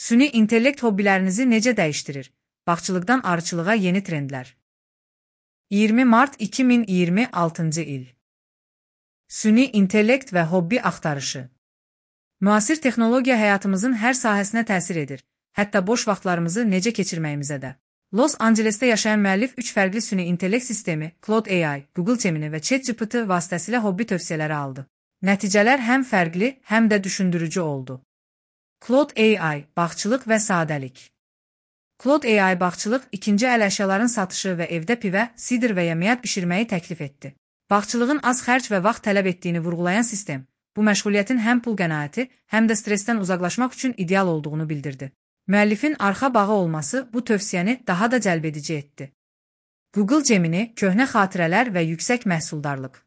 Süni intellekt hobbilərinizi necə dəyişdirir? Bağçılıqdan arıçılığa yeni trendlər. 20 mart 2026-cı il. Süni intellekt və hobbi axtarışı. Müasir texnologiya həyatımızın hər sahəsinə təsir edir, hətta boş vaxtlarımızı necə keçirməyimizə də. Los Ancelesdə yaşayan müəllif 3 fərqli süni intellekt sistemi, Claude AI, Google Gemini və ChatGPT vasitəsilə hobbi tövsiyələri aldı. Nəticələr həm fərqli, həm də düşündürücü oldu. Claude AI, bağçılıq və sadəlik. Claude AI bağçılıq, ikinci əl əşyaların satışı və evdə pivə, sidir və yemiyat bişirməyi təklif etdi. Bağçılığın az xərc və vaxt tələb etdiyini vurğulayan sistem, bu məşğuliyyətin həm pul qənaəti, həm də stressdən uzaqlaşmaq üçün ideal olduğunu bildirdi. Müəllifin arxa bağı olması bu tövsiyəni daha da cəlbedici etdi. Google Gemini, köhnə xatirələr və yüksək məhsuldarlıq.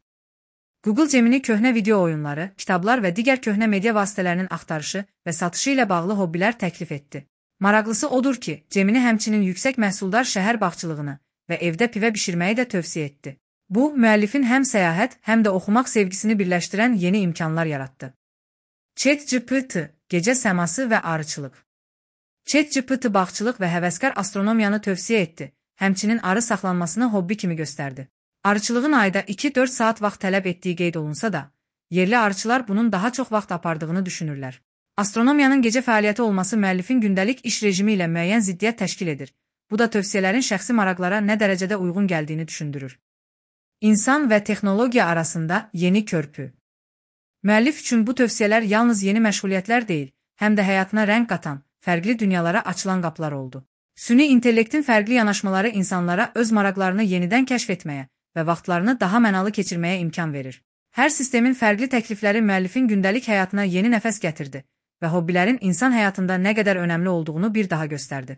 Google Gemini köhnə video oyunları, kitablar və digər köhnə media vasitələrinin axtarışı və satışı ilə bağlı hobbilər təklif etdi. Maraqlısı odur ki, Gemini həmçinin yüksək məhsuldar şəhər bağçılığını və evdə pivə bişirməyi də tövsiyə etdi. Bu, müəllifin həm səyahət, həm də oxumaq sevgisini birləşdirən yeni imkanlar yaratdı. ChatGPT, gecə səması və arıçılıq. ChatGPT bağçılıq və həvəskar astronomiyanı tövsiyə etdi, həmçinin arı saxlanmasını hobbi kimi göstərdi. Arıçılığın ayda 2-4 saat vaxt tələb etdiyi qeyd olunsa da, yerli arıçılar bunun daha çox vaxt apardığını düşünürlər. Astronomiyanın gecə fəaliyyəti olması müəllifin gündəlik iş rejimi ilə müəyyən ziddiyyət təşkil edir. Bu da tövsiyələrin şəxsi maraqlara nə dərəcədə uyğun gəldiyini düşündürür. İnsan və texnologiya arasında yeni körpü. Müəllif üçün bu tövsiyələr yalnız yeni məşğuliyyətlər deyil, həm də həyatına rəng qatan, fərqli dünyalara açılan qapılar oldu. Süni intellektin fərqli yanaşmaları insanlara öz maraqlarını yenidən kəşf etməyə və vaxtlarını daha mənalı keçirməyə imkan verir. Hər sistemin fərqli təklifləri müəllifin gündəlik həyatına yeni nəfəs gətirdi və hobbilərin insan həyatında nə qədər önəmli olduğunu bir daha göstərdi.